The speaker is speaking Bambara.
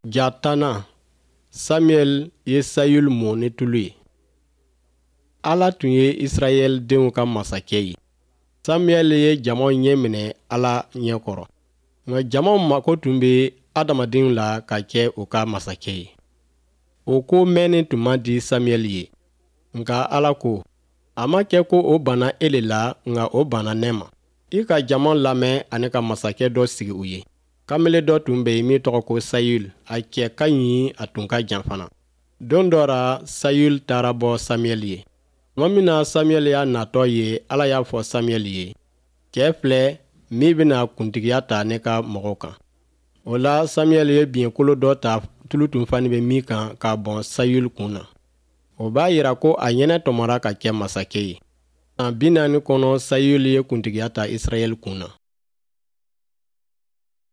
Ja tannan, Samuɛl ye Sayul mɔ ni tulu ye. Ala tun ye Israɛl denw ka masakɛ ye. Samuɛl ye jamaw ɲɛminɛ Ala ɲɛ kɔrɔ. Nka jamaw mako tun bɛ adamadenw la ka kɛ u ka masakɛ ye. O ko mɛnni tun man di Samuɛl ye. Nka Ala ko, a ma kɛ ko o banna e le la, nka o banna ne ma. I ka jama lamɛn ani ka masakɛ dɔ sigi u ye. Kamalen dɔ tun bɛ yen min tɔgɔ ko Sayul. A cɛ ka ɲi, a tun ka jan fana. Don dɔ ra, Sayul taara bɔ Samuɛl ye. Tuma min na Samuɛl y'a natɔ ye, Ala y'a fɔ Samuɛl ye, cɛ filɛ min bɛna kuntigiya ta ne ka mɔgɔw kan. O la, Samuɛl ye biɲɛkolo dɔ ta tulu tun fani bɛ min kan k'a bɔn Sayul kun na. O b'a yira ko a ɲɛnɛ tɔmɔra ka kɛ masakɛ ye. San 40 kɔnɔ, Sayul ye kuntigiya ta Israɛl kun na.